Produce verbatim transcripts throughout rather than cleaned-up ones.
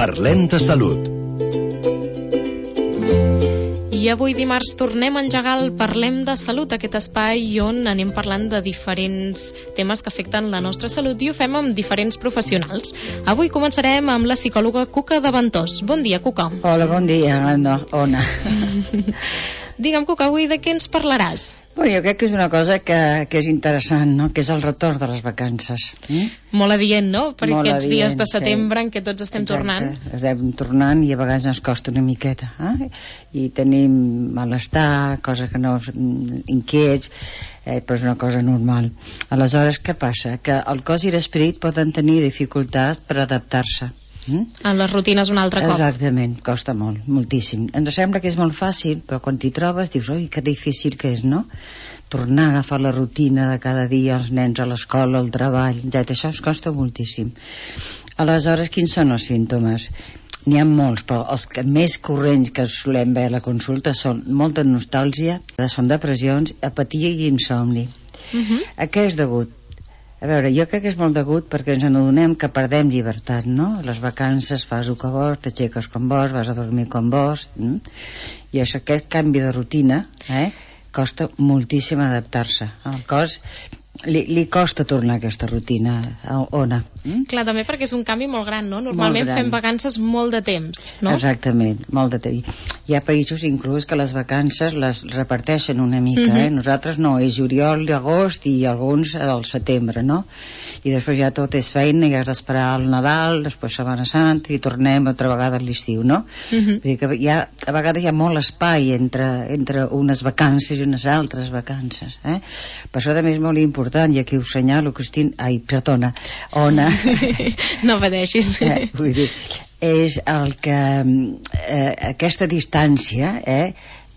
Parlem de salut. I avui dimarts tornem a engegar el Parlem de Salut, aquest espai on anem parlant de diferents temes que afecten la nostra salut i ho fem amb diferents professionals. Avui començarem amb la psicòloga Cuca de Ventós. Bon dia, Cuca. Hola, bon dia, Anna. Ona. Digue'm, Cuca, avui de què ens parlaràs? Bueno, jo crec que és una cosa que, que és interessant, no? Que és el retorn de les vacances. Mm? Molt adient, no? Per Molt aquests adient, dies de setembre sí. en què tots estem Exacte. tornant. Estem tornant i a vegades ens costa una miqueta. Eh? I tenim malestar, coses que no... inquiets, eh, però és una cosa normal. Aleshores, què passa? Que el cos i l'esperit poden tenir dificultats per adaptar-se. Mm? A les rutines un altre cop. Exactament, costa molt, moltíssim. Ens sembla que és molt fàcil, però quan t'hi trobes dius, oi, que difícil que és, no? Tornar a agafar la rutina de cada dia, els nens a l'escola, al treball, etcètera. Això ens costa moltíssim. Aleshores, quins són els símptomes? N'hi ha molts, però els que més corrents que solem veure a la consulta són molta nostàlgia, són depressions, apatia i insomni. Uh-huh. A què és degut? A veure, jo crec que és molt degut perquè ens adonem que perdem llibertat, no? Les vacances fas el que vols, t'aixeques com vols, vas a dormir com vols, mm? I això, aquest canvi de rutina, eh, costa moltíssim adaptar-se. El cos li, li costa tornar a aquesta rutina, a ona. Mm? Clar, també perquè és un canvi molt gran, no? Normalment fem vacances molt de temps, no? Exactament, molt de temps. Hi ha països inclús que les vacances les reparteixen una mica, uh-huh. eh? Nosaltres no, és juliol, agost i alguns al setembre, no? I després ja tot és feina i has d'esperar el Nadal, després Setmana Santa i tornem altra vegada a l'estiu, no? Uh-huh. Vull dir que hi ha, a vegades hi ha molt espai entre, entre unes vacances i unes altres vacances, eh? Per això també és molt important, i aquí us senyalo, Cristina, ai, perdona, Ona, no pateixis. eh, vull dir, és el que eh, aquesta distància eh,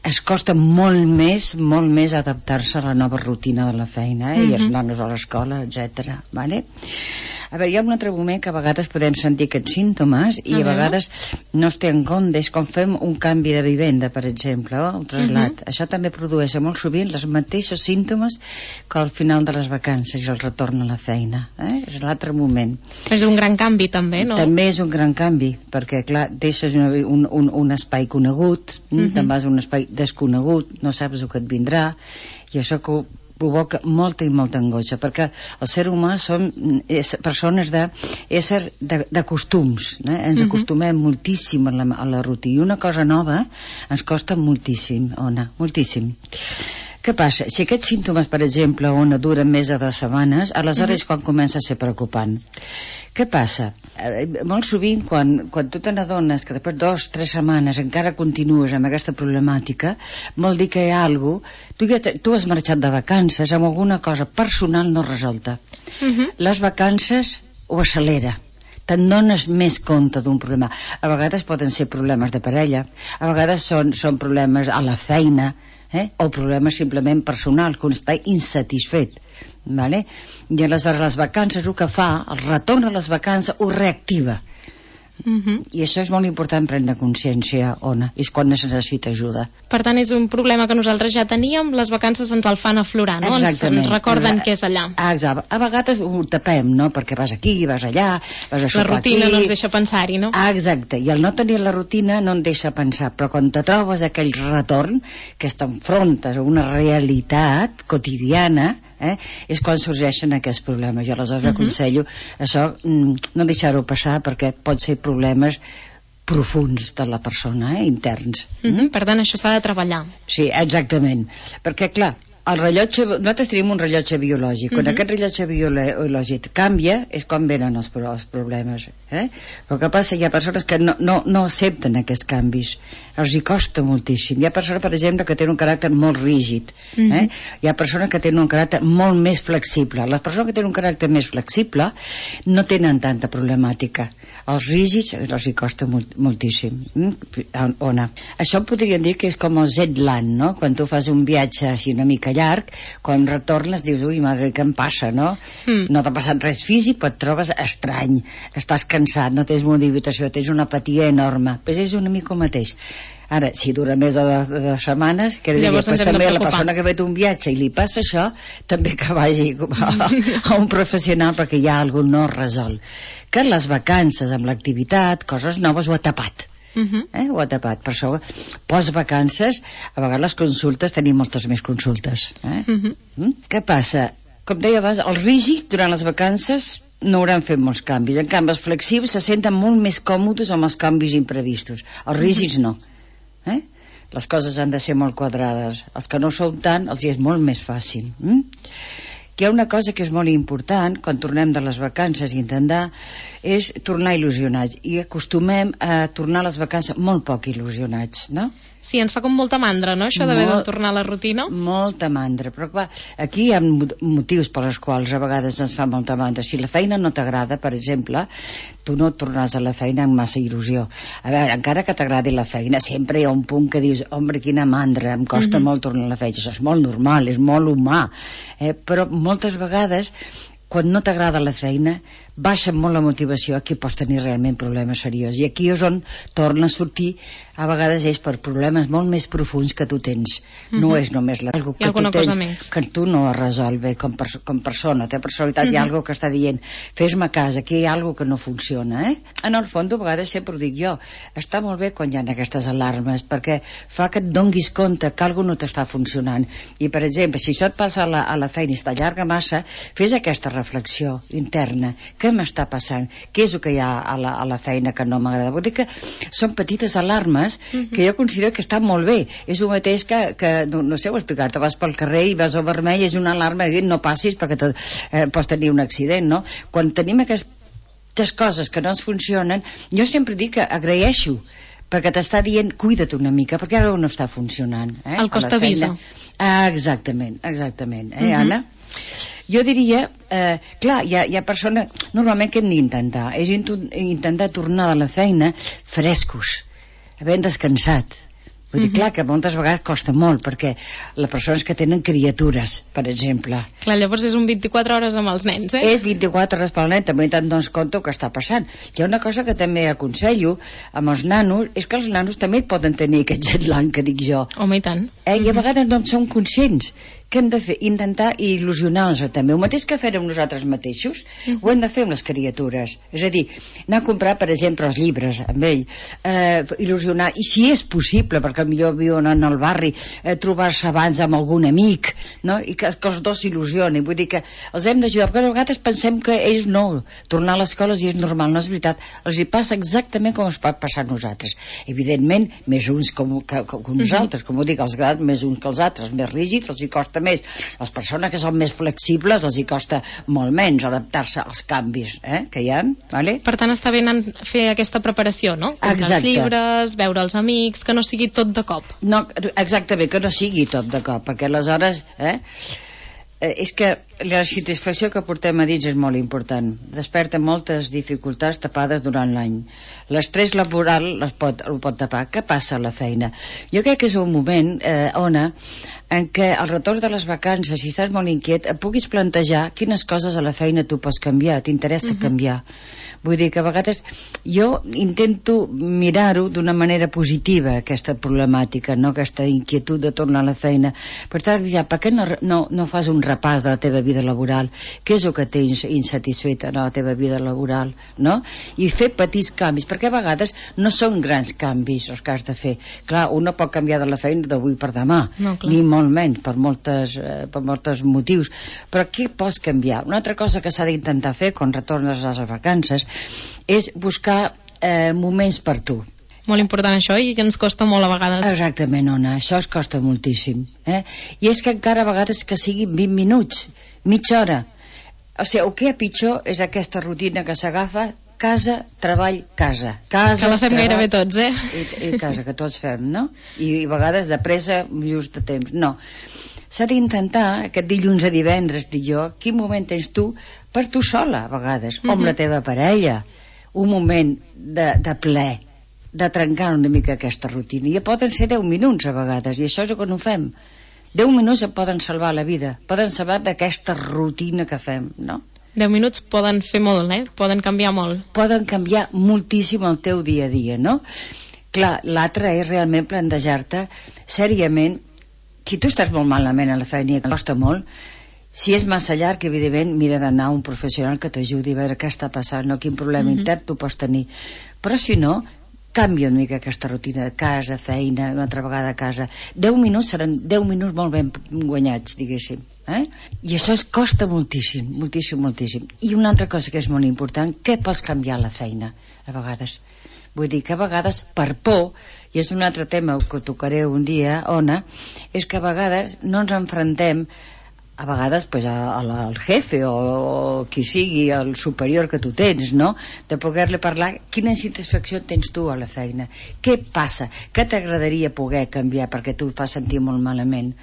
es costa molt més molt més adaptar-se a la nova rutina de la feina, eh, uh-huh. i els nanos a l'escola, etcètera. Vale? A veure, hi ha un altre moment que a vegades podem sentir aquests símptomes i uh-huh. a vegades no es té en compte, és quan fem un canvi de vivenda, per exemple, o un traslat. Uh-huh. Això també produeix molt sovint els mateixos símptomes que al final de les vacances i el retorn a la feina. Eh? És l'altre moment. És un gran canvi també, no? També és un gran canvi, perquè clar, deixes una, un, un, un espai conegut, uh-huh. te'n vas a un espai desconegut, no saps el que et vindrà, i això que provoca molta i molta angoixa, perquè el ser humà som és, persones de, ésser de, de costums, eh? Ens uh-huh. acostumem moltíssim a la, a la rutina, i una cosa nova ens costa moltíssim, Ona, moltíssim. Què passa? Si aquests símptomes, per exemple, Ona, duren més de dues setmanes, aleshores uh-huh. quan comença a ser preocupant. Què passa? Eh, molt sovint, quan, quan tu te n'adones que després de dues o tres setmanes encara continues amb aquesta problemàtica, vol dir que hi ha alguna cosa... Tu, ja te, tu has marxat de vacances amb alguna cosa personal no resolta. Uh-huh. Les vacances ho accelera. Te'n dones més compte d'un problema. A vegades poden ser problemes de parella, a vegades són, són problemes a la feina, eh? O problemes simplement personals, que un està insatisfet, vale? I aleshores les vacances el que fa, el retorn a les vacances ho reactiva. Uh-huh. I això és molt important prendre consciència, Ona, és quan es necessita ajuda. Per tant, és un problema que nosaltres ja teníem, les vacances ens el fan aflorar, no? Ens, ens recorden que és allà. Exacte. A vegades ho tapem, no? Perquè vas aquí, vas allà, vas a sopar aquí. La rutina no ens deixa pensar-hi, no? Exacte, i el no tenir la rutina no en deixa pensar, però quan te trobes aquell retorn, que t'enfrontes a una realitat quotidiana, eh, és quan sorgeixen aquests problemes. I aleshores uh-huh. aconsello això, no deixar-ho passar, perquè pot ser problemes profuns de la persona, eh, interns. Uh-huh. Per tant, això s'ha de treballar. Sí, exactament, perquè clar, el rellotge, nosaltres tenim un rellotge biològic. Quan uh-huh. aquest rellotge biològic canvia és quan venen els, els problemes, eh? Però el que passa, hi ha persones que no, no, no accepten aquests canvis, els hi costa moltíssim. Hi ha persones, per exemple, que tenen un caràcter molt rígid, eh? Uh-huh. Hi ha persones que tenen un caràcter molt més flexible. Les persones que tenen un caràcter més flexible no tenen tanta problemàtica. Els rígids els hi costa molt, moltíssim. Ona. Això podríem dir que és com el jet lag, no? Quan tu fas un viatge així una mica llarg, quan retornes dius, ui, madre, què em passa, no? Mm. No t'ha passat res físic, però et trobes estrany, estàs cansat, no tens motivació, tens una apatia enorme, però és una mica el mateix. Ara, si dura més de dues, de dues setmanes, que dir, després també la persona que ha fet un viatge i li passa això, també que vagi a, a un professional, perquè hi ha algú no resol. que les vacances amb l'activitat, coses noves, ho ha tapat. Uh-huh. Eh? Ho ha tapat. Per això, post-vacances, a vegades les consultes, tenim moltes més consultes. Eh? Uh-huh. Mm? Què passa? Com deia abans, els rígids durant les vacances no hauran fet molts canvis. En canvi, els flexibles se senten molt més còmodes amb els canvis imprevistos. Els rígids no. Eh? Les coses han de ser molt quadrades. Els que no són tant, els hi és molt més fàcil. Mm? Hi ha una cosa que és molt important quan tornem de les vacances i intentar és tornar il·lusionats, i acostumem a tornar a les vacances molt poc il·lusionats, no? Sí, ens fa com molta mandra, no?, això d'haver de tornar a la rutina. Molta mandra, però clar, aquí hi ha motius per als quals a vegades ens fa molta mandra. Si la feina no t'agrada, per exemple, tu no tornaràs a la feina amb massa il·lusió. A veure, encara que t'agradi la feina, sempre hi ha un punt que dius, home, quina mandra, em costa mm-hmm. molt tornar a la feina. Això és molt normal, és molt humà, eh? Però moltes vegades, quan no t'agrada la feina, baixa molt la motivació, aquí pots tenir realment problemes seriosos, i aquí és on torna a sortir, a vegades és per problemes molt més profuns que tu tens. Mm-hmm. No és només la, algo que tu tens més. Que tu no has resolt bé com, per, com persona, té personalitat, mm-hmm. hi ha algo que està dient, fes-me cas, aquí hi ha algo que no funciona, eh? En el fons, a vegades sempre ho dic jo, està molt bé quan hi ha aquestes alarmes, perquè fa que et donguis compte que algo no t'està funcionant, i per exemple, si això et passa a la, a la feina i t'allarga massa, fes aquesta reflexió interna, què m'està passant, què és el que hi ha a la, a la feina que no m'agrada. Vull dir que són petites alarmes uh-huh. que jo considero que estan molt bé. És el mateix que, que no, no sé ho explicar-te, vas pel carrer i vas al vermell, és una alarma, no passis perquè te, eh, pots tenir un accident, no? Quan tenim aquestes coses que no ens funcionen, jo sempre dic que agraeixo, perquè t'està dient, cuida't una mica, perquè ara no està funcionant. Eh? El cost avisa. Ah, exactament, exactament, eh, uh-huh. Anna? Jo diria, eh, clar, hi ha, hi ha persones, normalment què hem d'intentar? És intentar tornar de la feina frescos, havent descansat. Vull dir, uh-huh. clar, que moltes vegades costa molt, perquè les persones que tenen criatures, per exemple. Clar, llavors és un vint-i-quatre hores amb els nens, eh? És vint-i-quatre hores pel nen, també te'n dones compte el que està passant. Hi ha una cosa que també aconsello amb els nanos, és que els nanos també poden tenir aquest jet lag que dic jo. Home, i tant. Eh? I a vegades no en som conscients. Què hem de fer? Intentar il·lusionar-los també. El mateix que fem nosaltres mateixos, uh-huh. ho hem de fer amb les criatures. És a dir, anar a comprar, per exemple, els llibres amb ell, eh, il·lusionar, i si és possible, perquè millor viuen en el barri, eh, trobar-se abans amb algun amic, no? I que, que els dos s'il·lusionin. Vull dir que els hem d'ajudar, perquè a vegades pensem que ells no, tornar a l'escola i és normal, no és veritat. Els hi passa exactament com es pot passar a nosaltres. Evidentment, més uns com, que, com nosaltres, uh-huh. com ho dic, els grans més uns que els altres, més rígids, els hi costa més. Les persones que són més flexibles els hi costa molt menys adaptar-se als canvis eh, que hi ha, vale? Per tant està bé fer aquesta preparació, no? Comprar els llibres, veure els amics, que no sigui tot de cop. No, exactament, que no sigui tot de cop, perquè aleshores eh, eh, és que la satisfacció que portem a dins és molt important, desperta moltes dificultats tapades durant l'any. L'estrès laboral les pot, el pot tapar. Què passa a la feina? Jo crec que és un moment, eh, Ona, en què al retorn de les vacances, si estàs molt inquiet, et puguis plantejar quines coses a la feina tu pots canviar, t'interessa uh-huh. canviar. Vull dir que a vegades jo intento mirar-ho d'una manera positiva, aquesta problemàtica, no? Aquesta inquietud de tornar a la feina. Per tant, ja, per què no, no, no fas un repàs de la teva vida laboral? Què és el que tens insatisfet en la teva vida laboral? No? I fer petits canvis, perquè a vegades no són grans canvis els que has de fer. Clar, un no pot canviar de la feina d'avui per demà, no, ni molt menys, per moltes, eh, per moltes motius. Però què pots canviar? Una altra cosa que s'ha d'intentar fer quan retornes a les vacances és buscar eh, moments per tu. Molt important això, i que ens costa molt a vegades. Exactament, Ona, això es costa moltíssim. Eh? I és que encara a vegades que siguin vint minuts, mitja hora. O sigui, el que és pitjor és aquesta rutina que s'agafa, casa, treball, casa. Casa, que la fem treball, gairebé tots, eh? I, i casa, que tots fem, no? I, i a vegades de pressa, just de temps. No. S'ha d'intentar, aquest dilluns a divendres, dic jo, quin moment tens tu per tu sola, a vegades, o amb uh-huh. la teva parella, un moment de, de ple, de trencar una mica aquesta rutina. I poden ser deu minuts a vegades, i això és el que no fem. deu minuts et poden salvar la vida, poden salvar d'aquesta rutina que fem, no? deu minuts poden fer molt, eh? Poden canviar molt. Poden canviar moltíssim el teu dia a dia, no? Clar, l'altre és realment plantejar-te seriament, si tu estàs molt malament a la feina i et costa molt, Si és massa llarg, evidentment, mira d'anar a un professional que t'ajudi a veure què està passant, no? Quin problema mm-hmm. intern tu pots tenir. Però si no, canvia una mica aquesta rutina de casa, feina, una altra vegada a casa. deu minuts seran deu minuts molt ben guanyats, diguéssim. Eh? I això es costa moltíssim, moltíssim, moltíssim. I una altra cosa que és molt important, què pots canviar a la feina, a vegades? Vull dir que a vegades, per por, i és un altre tema que tocaré un dia, Ona, és que a vegades no ens enfrontem a vegades pues, a, a la, al jefe o, o qui sigui, el superior que tu tens, no? De poder-li parlar quina satisfacció tens tu a la feina, què passa, què t'agradaria poder canviar perquè tu et fas sentir molt malament.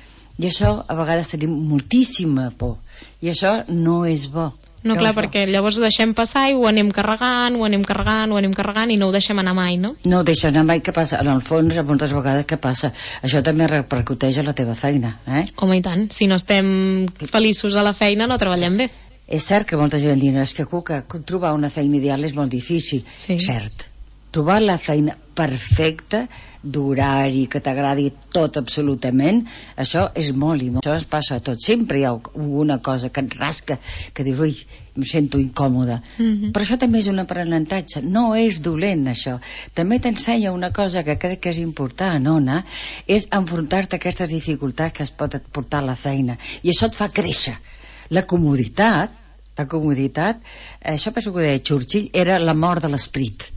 I això a vegades tenim moltíssima por i això no és bo. No, clar, perquè llavors ho deixem passar i ho anem carregant, ho anem carregant, ho anem carregant i no ho deixem anar mai, no? No ho deixem anar mai, què passa? En el fons, moltes vegades, què passa? Això també repercuteix a la teva feina, eh? Home, i tant. Si no estem feliços a la feina, no treballem bé. És cert que molta gent diu, és que, Cuca, trobar una feina ideal és molt difícil. Sí. Cert. Trobar la feina perfecta, d'horari, que t'agradi tot absolutament, això és molt i molt. Això es passa a tot. Sempre hi ha alguna cosa que et rasca, que dius, ui, em sento incòmoda. Mm-hmm. Però això també és un aprenentatge. No és dolent, això. També t'ensenya una cosa que crec que és important, Ona, és enfrontar-te a aquestes dificultats que es pot portar a la feina. I això et fa créixer. La comoditat, la comoditat, això penso que ho deia Churchill, era la mort de l'esperit.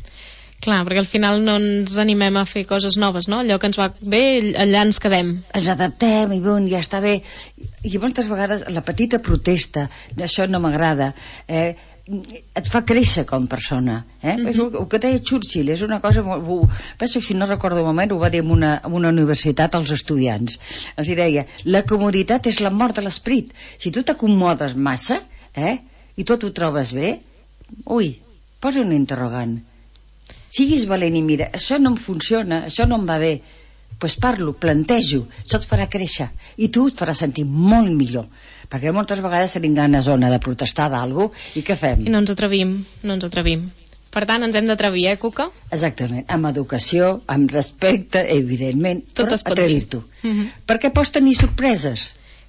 Clar, perquè al final no ens animem a fer coses noves, no? Allò que ens va bé, allà ens quedem. Ens adaptem i bon, ja està bé. I moltes vegades la petita protesta, això no m'agrada, eh, et fa créixer com a persona. Eh? Mm-hmm. És el, el que deia Churchill, és una cosa molt... Penso, si no recordo un moment, ho va dir en una, en una universitat als estudiants. Els deia, la comoditat és la mort de l'esperit. Si tu t'acomodes massa, eh, i tot ho trobes bé, ui, posa un interrogant. Siguis valent i mira, això no em funciona, això no em va bé, doncs pues parlo, plantejo, això et farà créixer i tu et farà sentir molt millor, perquè moltes vegades tenim ganes, Ona, de protestar d'algú i què fem? I no ens atrevim, no ens atrevim. Per tant, ens hem d'atrevir, eh, Cuca? Exactament, amb educació, amb respecte, evidentment, tot però atrevir-t'ho. Mm-hmm. Perquè pots tenir sorpreses.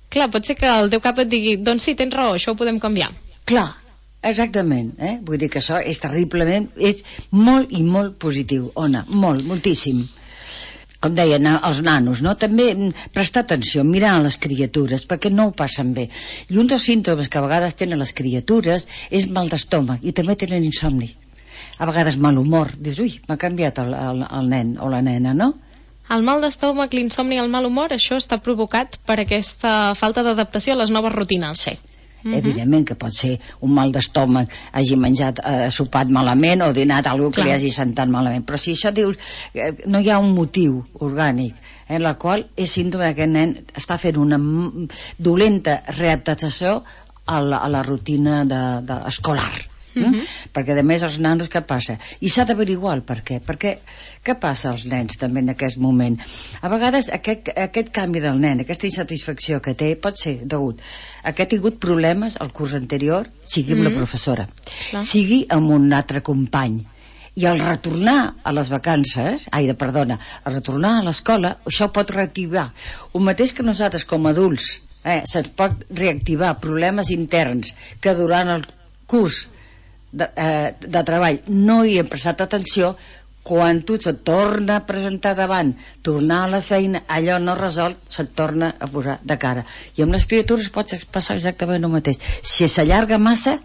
Clar, pot ser que el teu cap et digui, doncs sí, tens raó, això ho podem canviar. Clar. Exactament, eh? Vull dir que això és terriblement, és molt i molt positiu, Ona, molt, moltíssim. Com deien els nanos, no? També prestar atenció, mirar a les criatures, perquè no ho passen bé. I un dels símptomes que a vegades tenen les criatures és mal d'estómac i també tenen insomni. A vegades mal humor, dius, ui, m'ha canviat el, el, el nen o la nena, no? El mal d'estómac, l'insomni i el mal humor, això està provocat per aquesta falta d'adaptació a les noves rutines. Sí. Uh-huh. Evidentment que pot ser un mal d'estómac, hagi menjat, eh, sopat malament o dinat alguna que li hagi sentat malament, però si això dius eh, no hi ha un motiu orgànic en la qual és símptoma que aquest nen està fent una dolenta readaptació a la, a la rutina de, de escolar. Mm-hmm. Perquè a més els nanos què passa? I s'ha d'averiguar el per què, perquè què passa als nens també en aquest moment? A vegades aquest, aquest canvi del nen, aquesta insatisfacció que té pot ser degut a que ha tingut problemes al curs anterior, sigui amb mm-hmm. la professora, clar, sigui amb un altre company, i al retornar a les vacances, ai, de perdona, al retornar a l'escola, això pot reactivar el mateix que nosaltres com a adults, eh, se'ns pot reactivar problemes interns que durant el curs De, eh, de treball no hi hem prestat atenció. Quan tu se't torna a presentar davant, tornar a la feina, allò no resolt, se't torna a posar de cara. I amb les criatures pot passar exactament el mateix. Si s'allarga massa,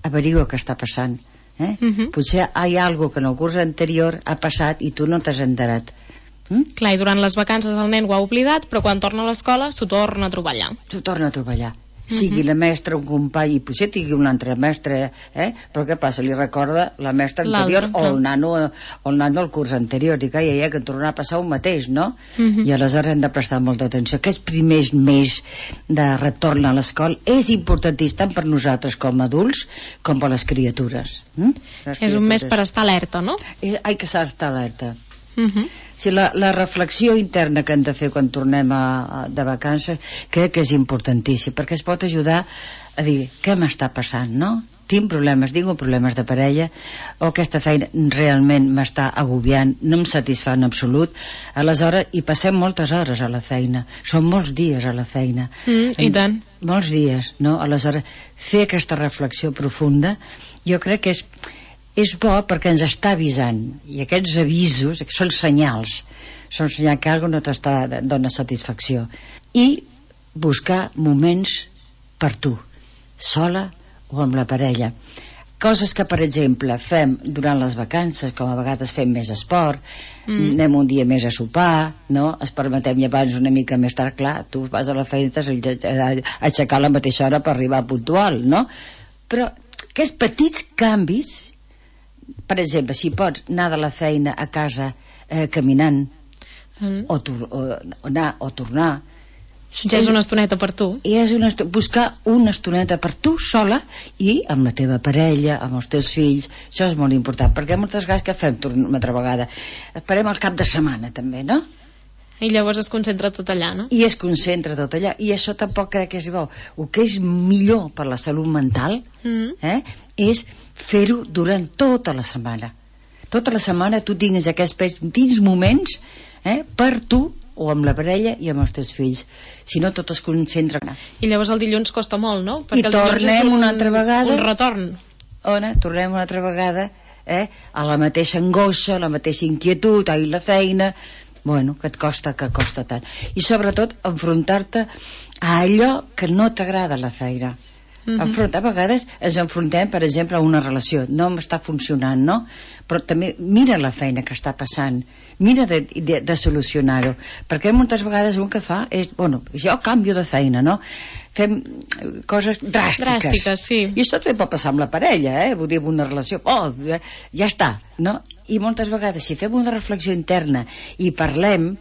averigua què està passant, eh? Uh-huh. Potser hi ha alguna que en el curs anterior ha passat i tu no t'has enterat. hm? Clar, i durant les vacances el nen ho ha oblidat, però quan torna a l'escola s'ho torna a trobar allà. S'ho torna a trobar allà. Sigui la mestra, un company, i potser tingui un altre mestre, eh? Però què passa? Li recorda la mestra anterior o el nano o el nano del curs anterior. Dic, ai, ai, que tornarà a passar un mateix, no? Uh-huh. I aleshores hem de prestar molta atenció. Aquests primers mesos de retorn a l'escola és importantíssim tant per nosaltres com a adults com per les criatures. Hm? Les criatures. És un mes per estar alerta, no? Ai, que s'ha d'estar alerta. Uh-huh. Si la, la reflexió interna que hem de fer quan tornem a, a, de vacances crec que és importantíssim, perquè es pot ajudar a dir què m'està passant, no? Tinc problemes, tinc problemes de parella, o aquesta feina realment m'està agobiant, no em satisfà en absolut. Aleshores hi passem moltes hores a la feina, són molts dies a la feina. Mm, i tant. molts dies, no? Aleshores, fer aquesta reflexió profunda, jo crec que és, és bo perquè ens està avisant, i aquests avisos són senyals, són senyals que alguna no t'està dona satisfacció, i buscar moments per tu, sola o amb la parella. Coses que, per exemple, fem durant les vacances, com a vegades fem més esport, mm. anem un dia més a sopar, no? Es permetem i abans una mica més tard, clar, tu vas a la feina i t'has d'aixecar a la mateixa hora per arribar puntual, no? Però aquests petits canvis, per exemple, si pots anar de la feina a casa eh, caminant, mm. o, o, o anar o tornar, ja és una estoneta per tu. I és una estoneta, buscar una estoneta per tu sola i amb la teva parella, amb els teus fills. Això és molt important, perquè moltes vegades que fem una altra vegada? Esperem el cap de setmana també, no? I llavors es concentra tot allà, no? I es concentra tot allà, i això tampoc crec que és bo. El que és millor per la salut mental mm. eh, és fer-ho durant tota la setmana. Tota la setmana tu tinguis aquests petits moments eh, per tu, o amb la parella i amb els teus fills, si no tot es concentra. I llavors el dilluns costa molt, no? Perquè i tornem un, una altra vegada un retorn. Ona, tornem una altra vegada eh, a la mateixa angoixa, a la mateixa inquietud, ai, la feina, bueno, que et costa, que costa tant, i sobretot enfrontar-te a allò que no t'agrada la feina. Mm-hmm. Enfrontar, a vegades ens enfrontem, per exemple, a una relació, no m'està funcionant, no? Però també mira la feina que està passant, mira de, de, de solucionar-ho, perquè moltes vegades un que fa és, bueno, jo canvio de feina, no? Fem coses dràstiques, dràstiques sí. I això també pot passar amb la parella, eh? Vull dir, amb una relació, oh, ja està, no? I moltes vegades si fem una reflexió interna i parlem,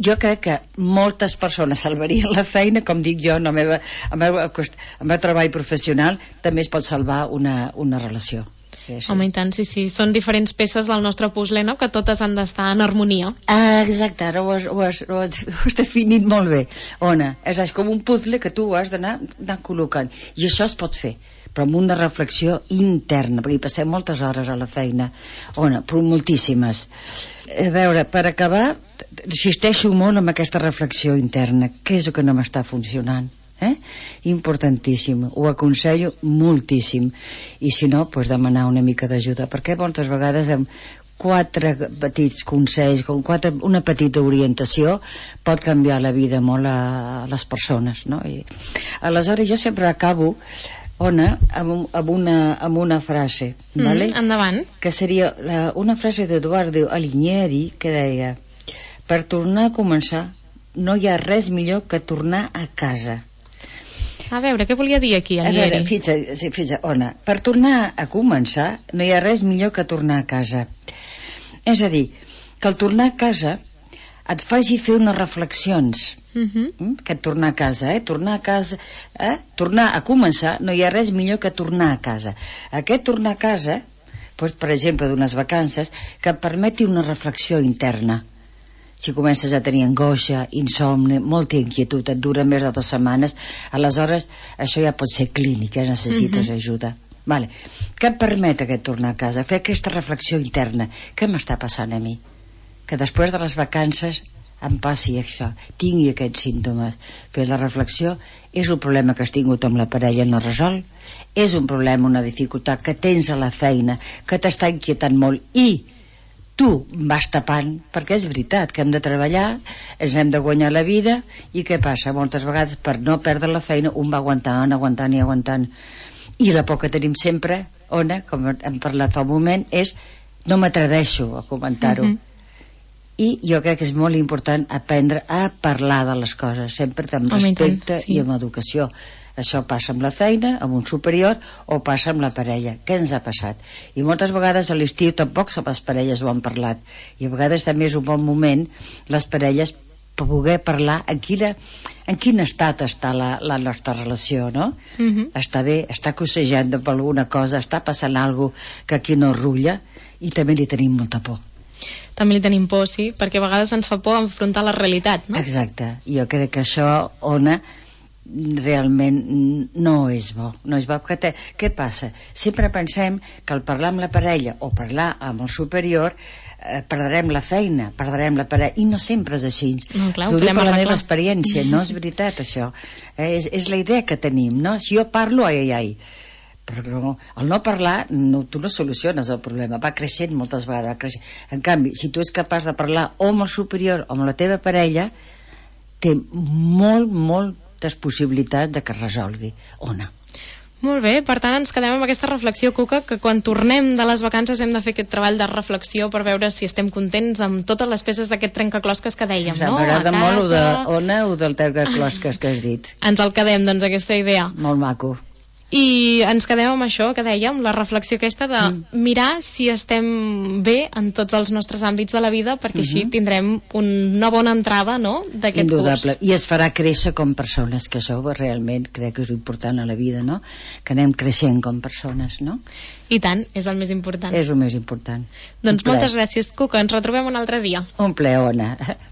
jo crec que moltes persones salvarien la feina, com dic jo, en el meu, en el meu, en el meu treball professional també es pot salvar una, una relació. Sí, sí. Home, i tant, sí, sí. Són diferents peces del nostre puzzle, no?, que totes han d'estar en harmonia. Ah, exacte, ara ho has, ho has, ho has, ho has definit molt bé. Ona, és, és com un puzzle que tu has d'anar col·locant. I això es pot fer, però amb una reflexió interna, perquè hi passem moltes hores a la feina. Ona, però moltíssimes. A veure, per acabar, insisteixo molt en aquesta reflexió interna. Què és el que no m'està funcionant? Eh? Importantíssim, ho aconsello moltíssim, i si no, pues demanar una mica d'ajuda, perquè moltes vegades amb quatre petits consells, com quatre, una petita orientació pot canviar la vida molt a, a les persones, no? I aleshores jo sempre acabo, Ona, amb, amb, una, amb una frase, mm, vale? Endavant. Que seria la, una frase d'Eduardo Alighieri que deia: per tornar a començar no hi ha res millor que tornar a casa. A veure, què volia dir aquí, Alighieri? A veure, fitxa, sí, fitxa, Ona, per tornar a començar no hi ha res millor que tornar a casa. És a dir, que al tornar a casa et faci fer unes reflexions. Uh-huh. Que tornar a casa, eh? Tornar a casa, eh? Tornar a començar no hi ha res millor que tornar a casa. Aquest tornar a casa, doncs, per exemple, d'unes vacances, que et permeti una reflexió interna. Si comences a tenir angoixa, insomni, molta inquietud, et dura més de dues setmanes, aleshores això ja pot ser clínic, eh? Necessites uh-huh. ajuda. Vale. Què et permet aquest tornar a casa? Fer aquesta reflexió interna. Què m'està passant a mi? Que després de les vacances em passi això, tingui aquests símptomes. Fer la reflexió, és un problema que has tingut amb la parella no resol, és un problema, una dificultat que tens a la feina, que t'està inquietant molt, i tu vas tapant, perquè és veritat que hem de treballar, ens hem de guanyar la vida, i què passa? Moltes vegades per no perdre la feina un va aguantant, aguantant i aguantant, i la por que tenim sempre, Ona, com hem parlat fa un moment, és no m'atreveixo a comentar-ho. Uh-huh. I jo crec que és molt important aprendre a parlar de les coses, sempre amb respecte sí. i amb educació. Això passa amb la feina, amb un superior, o passa amb la parella. Què ens ha passat? I moltes vegades a l'estiu tampoc les parelles ho han parlat, i a vegades també és un bon moment les parelles per poder parlar en, quina, en quin estat està la, la nostra relació, no? Uh-huh. Està bé, està cossejant per alguna cosa, està passant alguna cosa que aquí no rutlla, i també li tenim molta por. També li tenim por, sí, perquè a vegades ens fa por enfrontar la realitat, no? Exacte, jo crec que això, Ona, realment no és bo, no és bo. Te, què passa? Sempre pensem que al parlar amb la parella o parlar amb el superior eh, perdrem la feina, perdrem la parella, i no sempre és així. No, clar, T'ho ho dic podem per la arreglar. meva experiència, no és veritat això. Eh, és, és la idea que tenim, no? Si jo parlo, ai, ai, ai. Però no, el no parlar, no, tu no soluciones el problema, va creixent moltes vegades, va creixent. En canvi, si tu ets capaç de parlar o amb el superior o amb la teva parella, té molt, moltes possibilitats de que es resolgui o no. Molt bé, per tant ens quedem amb aquesta reflexió, Cuca, que quan tornem de les vacances hem de fer aquest treball de reflexió per veure si estem contents amb totes les peces d'aquest trencaclosques que dèiem, sí, no? M'agrada molt o de Ona o del trencaclosques que has dit. Ens el quedem, doncs, aquesta idea. Molt maco. I ens quedem amb això que dèiem, la reflexió aquesta de mm. mirar si estem bé en tots els nostres àmbits de la vida, perquè mm-hmm. així tindrem una bona entrada, no?, d'aquest curs. I es farà créixer com persones, que això realment crec que és important a la vida, no?, que anem creixent com persones, no? I tant, és el més important. És el més important. Doncs moltes gràcies, Cuca, ens retrobem un altre dia. Un plaer, Ona.